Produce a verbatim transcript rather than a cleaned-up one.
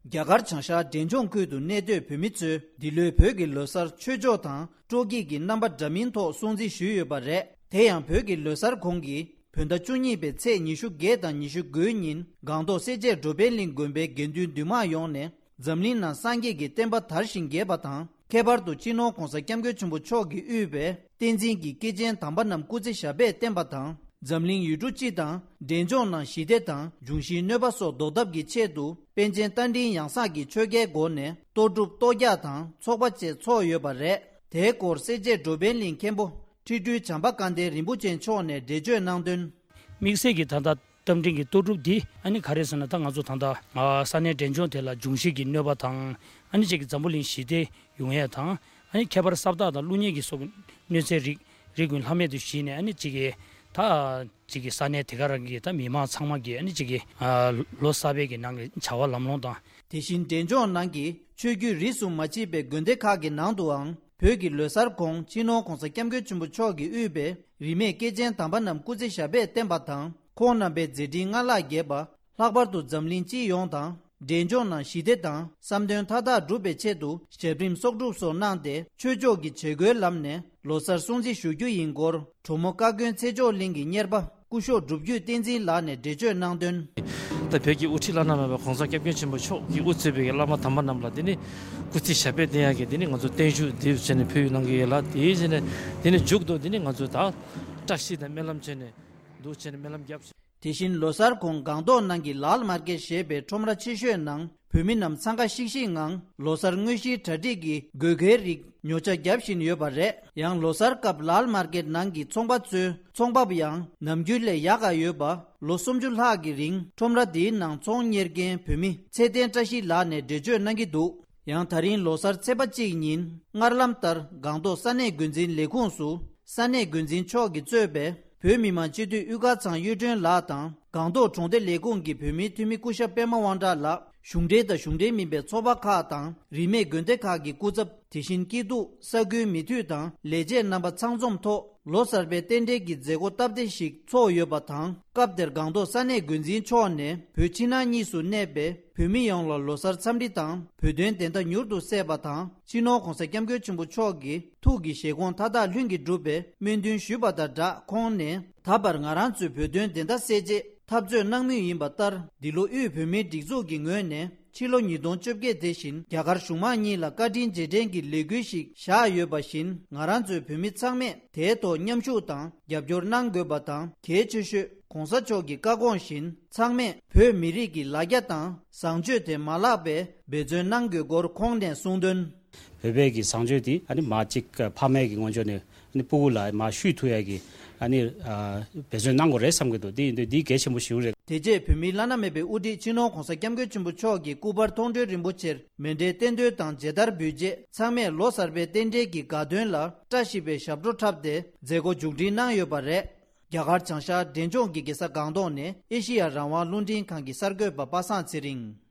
རྒྱ་གར་བྱང་ཤར་འབྲས་ལྗོངས་ཁུལ་དུ་གནས་སྡོད་བོད་མི་ཚོས་འདི་ལོའི་བོད་ཀྱི་ལོ་གསར་ཆོས་ཕྱོགས་དང་སྤྲོ་སྐྱིད་ཀྱི་རྣམ་པ་འདྲ་མིན་ཐོག་སྲུང་བརྩི་ཞུས་ཡོད་པ་རེད། དེ་ཡང་བོད་ཀྱི་ལོ་གསར་གོང་གི་བོད་ཟླ་བཅུ་གཉིས་པའི་ཚེས་ཉི་ཤུ་བརྒྱད་དང་ཉི་ཤུ་དགུའི་ཉིན་སྒང་ཏོག་སེར་བྱེས་འགྲོ་ཕན་གླིང་དགོན་པའི་དགེ་འདུན་འདུས་མང་ཡོངས་ནས་འཛམ་གླིང་ནང་སངས་རྒྱས་ཀྱི་བསྟན་པ་དར་ཞིང་རྒྱས་པ་དང་། ཁྱད་པར་དུ་སྤྱི་ནོར་༧གོང་ས་༧སྐྱབས་མགོན་ཆེན་པོ་མཆོག་གིས་དབུས་པའི་བསྟན་འཛིན་གྱི་སྐྱེས་ཆེན་དམ་པ་རྣམས་སྐུ་ཚེ་ཞབས་པད་བརྟན་པ་དང་། འཛམ་གླིང་ཡུལ་གྲུ་སྤྱི་དང་འབྲས་ལྗོངས་ནང་ཞི་བདེ་དང་འབྱུང་བཞིའི་གནོད་པ་སོགས་ཟློག་ཐབས་ཀྱི་ཆེད་དུ་པཎ་ཆེན་རྟ་མགྲིན་ཡང་གསང་གི་ཆོ་གའི་སྒོ་ནས་གཏོར་སྒྲུབ་གཏོར་རྒྱག་དང་ཚོགས་པ་བཅས་འཚོགས་ཡོད་པ་རེད། དེའི་སྐོར་སེར་བྱེས་འགྲོ་ཕན་གླིང་མཁན་པོ་ཁྲི་སྤྲུལ་བྱམས་པ་སྐལ་ལྡན་རིན་པོ་ཆེ་མཆོག་ནས་འགྲེལ་བརྗོད་གནང་དོན། དམིགས་བསལ་གྱི་ད་ལྟ་རྟ་མགྲིན་གྱི་གཏོར་སྒྲུབ་འདི་ཨ་ནི་ག་རེ་ཟེར་ན། ད་ང་ཚོ་ད་ལྟ་ས་གནས་འབྲས་ལྗོངས་དེ་ལ་འབྱུང་བཞི་གི་གནོད་པ་དང་། ཨ་ནི་གཅིག་གི་འཛམ་བུ་གླིང་ཞི་བདེ་ཡོང་ཡས་དང་། ཨ་ནི་ཁྱད་པར་ས་བདག་དང་ཀླུ་གཉན་གྱི་སོགས་ཀྱི་གནོད་འཚེ་རིགས་རིགས་ཀུན་ལྷག་མེད་དུ་ཞི་ནས། ཨ་ནི་གཅིག་གི་ད་གཅིག་གི་ས་གནས་དེ་ག་རང་གི་ད་མི་མང་ཚང་མ་གི་ཨ་ནི་གཅིག་གི་ལོ་གསར་པའི་གི་ནང་གི་བྱ་བ་ལམ་ལྷོང་དང་། དེ་བཞིན་འབྲས་ལྗོངས་ནང་གི་ཆོས་བརྒྱུད་རིས་སུ་མ་མཆིས་པའི་དགོན་སྡེ་ཁག་གི་ནང་དུའང་བོད་ཀྱི་ལོ་གསར་གོང་སྤྱི་ནོར་༧གོང་ས་༧སྐྱབས་མགོན་ཆེན་པོ་མཆོག་གིས་དབུས་པའི་རིས་མེད་སྐྱེས་ཆེན་དམ་པ་རྣམས་སྐུ་ཚེ་ཞབས་པད་བརྟན་པ་དང་། ཁོང་རྣམ་པའི་མཛད་འཕྲིན་སྔར་ལྷག་རྒྱས་པ། ལྷག་པར་དུ་འཛམ་གླིང་སྤྱི་ཡོངས་དང་འབྲས་ལྗོངས་ནང་ཞི་བདེ་དང་བསམ་དོན་མཐའ་དག་འགྲུབ་པའི་ཆེད་དུ་ཞབས་རིམ་གསོག་སྒྲུབ་སོགས་གནང་སྟེ། ཆོས་ཕྱོགས་ཀྱི་བྱེད་སྒོའི་ལམ་ནས་ལོ་གསར་སྲུང་བརྩི་ཞུ་རྒྱུ་ཡིན་སྐོར། གྲོ་མོ་བཀའ་དགོན་ཚེ་མཆོག་གླིང་གི་གཉེར་པ་སྐུ་ཞབས་སྒྲུབ་བརྒྱུད་བསྟན་འཛིན་ལགས་ནས་འགྲེལ་བརྗོད་གནང་དོན། ད་བོད་ཀྱི་དབུ་ཁྲིད་བླ་ན་མེད་པ་༧གོང་ས་༧སྐྱབས་མགོན་ཆེན་པོ་མཆོག་གིས་དབུ་གཙོས་པའི་བླ་མ་དམ་པ་རྣམས་ལ་དེ་ནི་སྐུ་ཚེ་ཞབས་པད་བརྟན་ཡག་གི་དེ་ནི་ང་ཚོ་བརྟན་བཞུགས་འདི་བྱས་ནས་ཕུལ་གནང་གི་ཡོད་ལ། དེའི་རྗེས་ནས་དེ་ནི་མཇུག་ཏུ་དེ་ནི་ང་ཚོ་ད་བཀྲ་ཤིས་དང་སྨོན་ལམ་བྱས་ནས་འདུག་བྱས་ནས་སྨོན་ལམ་བརྒྱབ། དེ་བཞིན་ལོ་གསར་གོང་སྒང་ཏོག་ནང་གི་ལཱལ་མར་ཀེད་ཞེས་པའི་ཁྲོམ་ར་ཆེ་ཤོས་ནང་བོད་མི་རྣམས་འཚང་ཁ་ཤིག་ཤིག་ངང་ལོ་གསར་དངོས་གཞིའི་གྲ་སྒྲིག་གི་དགོས་གལ་རིགས་ཉོ་ཆ་རྒྱག་བཞིན་ཡོད་པ་རེད། ཡང་ལོ་གསར་སྐབས་ལཱལ་མར་ཀེད་ནང་གི་ཚོང་པ་ཚོའི་ཚོང་འབབ་ཡང་ནམ་རྒྱུན་ལས་ཡག་ག་ཡོད་པ། ལོ་སུམ་ཅུ་ལྷག་གི་རིང་ཁྲོམ་ར་འདིའི་ནང་ཚོང་གཉེར་མཁན་བོད་མི་ཚེ་བརྟན་བཀྲ་ཤིས་ལགས་ནས་འགྲེལ་བརྗོད་གནང་གི་འདུག། ཡང་ད་རིང་ལོ་གསར་ཚེས་པ་གཅིག་ཉིན་སྔར་ལམ་ལྟར་སྒང་ཏོག་ས་གནས་འགོ་འཛིན་ལས་ཁུངས་སུ་ས་གནས་འགོ་འཛིན་མཆོག་གིས་གཙོས་པའི་བོད་མི་མང་སྤྱི་འཐུས་དབུས་དཀར་ཚང་གཡུ་སྒྲོན་ལགས་དང་། སྒང་ཏོག་གྲོང་སྡེ་ལས་ཁུངས་ཀྱི་བོད་མིའི་འཐུས་མི་སྐུ་ཞབས་པད་མ་དབང་གྲགས་ལགས། གཞུང་འབྲེལ་དང་གཞུང་འབྲེལ་མིན་པའི་ཚོགས་པ་ཁག་དང་རིས་མེད་དགོན་སྡེ་ཁག་གི་སྐུ་ཚབ། དེ་བཞིན་སྐྱིད་སྡུག་ས་ཁུལ་མི་འཐུས་དང་ལས་བྱེད་རྣམ་པ་ཚང་འཛོམས་ཐོག་ལོ་གསར་པའི་རྟེན་འབྲེལ་གྱི་མཛད་སྒོ་སྟབས་བདེ་ཞིག་ཚོགས་ཡོད་པ་དང་། སྐབས་དེར་སྒང་ཏོག་ས་གནས་འགོ་འཛིན་མཆོག་ནས་བོད་ཕྱི་ནང་གཉིས་སུ་གནས་པའི་བོད་མི་ཡོངས་ལ་ལོ་གསར་འཚམས་འདྲི་དང་བོད་དོན་བདེན་མཐའ་མྱུར་དུ་གསལ་བ་དང་། སྤྱི་ནོར་༧གོང་ས་༧སྐྱབས་མགོན་ཆེན་པོ་མཆོག་གི་ཐུགས་ཀྱི་བཞེད་དགོངས་མཐའ་དག་ལྷུན་གྱིས་འགྲུབ་པའི་སྨོན་འདུན་ཞུས་པ་དང་སྦྲགས། ཁོང་ནས་ད་བར་ང་རང་ཚོའི་བོད་དོན་བདེན་མཐའ་གསལ་ཆེད་འཐབ་རྩོད་གནང་མུས་ཡིན་པ་ལྟར། འདི་ལོ་དབུས་བོད་མིའི་སྒྲིག་འཛུགས་ཀྱི་ངོས་ནས་ཕྱི་ལོ་ཉིས་སྟོང་བཅོ་བརྒྱད་དེ་བཞིན་རྒྱ་གར་གཞུང་མང་གཉིས་ལ་བཀའ་དྲིན་རྗེས་དྲན་གྱི་ལས་འགུལ་ཞིག་བཞག་ཡོད་པ་བཞིན། ང་རང་ཚོའི་བོད་མི་ཚང་མས་དེའི་ཐོག་མཉམ་ཞུགས་དང་རྒྱབ་སྐྱོར་གནང་དགོས་པ་དང་། གལ་ཆེ་ཤོས་༧གོང་ས་མཆོག་གི་བཀའ་དགོངས་བཞིན་ཚང་མས་བོད་མི་རིགས་ཀྱི་ལ་རྒྱ་དང་བཟང་སྤྱོད་དེ་མ་བརླག་པའི་འབད་བརྩོན་གནང་དགོས་སྐོར་ཁོང་ནས་གསུངས་དོན། བོད་པའི་གི་བཟང་སྤྱོད་དེ་ཨ་ནི་མ་གཅིག་ཕ་མའི་གི་ངོས་ཕྱོགས་ནས་ཨ་ནི་སྤུ་གུ་ལ་མ་བཤུས་ཐུབ་ཡ་གི་ཨ་ནི་ཨ་འབད་བརྩོན་གནང་དགོས་རེད་བསམ་གི་འདུག། དེ་ཡིན་དུས་འདི་གལ་ཆེན་པོ་ཞིག་རེད། དེ་རྗེས་བོད་མིའི་བླ་ན་མེད་པའི་དབུ་ཁྲིད་སྤྱི་ནོར་༧གོང་ས་༧སྐྱབས་མགོན་ཆེན་པོ་མཆོག་གི་སྐུ་པར་མཐོང་གྲོལ་རིན་པོ་ཆེར་མཎྜལ་རྟེན་མདོས་དང་མཇལ་དར་འབུལ་རྗེས། ཚང་མས་ལོ་གསར་པའི་རྟེན་འབྲེལ་གྱི་དགའ་སྟོན་ལ་བཀྲ་ཤིས་པའི་ཞབས་བྲོ་འཁྲབ་སྟེ་མཛད་སྒོ་མཇུག་སྒྲིལ་གནང་ཡོད་པ་རེད། རྒྱ་གར་བྱང་ཤར་འབྲས་ལྗོངས་ཀྱི་རྒྱལ་ས་སྒང་ཏོག་ནས་ཨེ་ཤི་ཡ་རང་དབང་རླུང་འཕྲིན་ཁང་གི་གསར་འགོད་པ་པ་སངས་ཚེ་རིང་།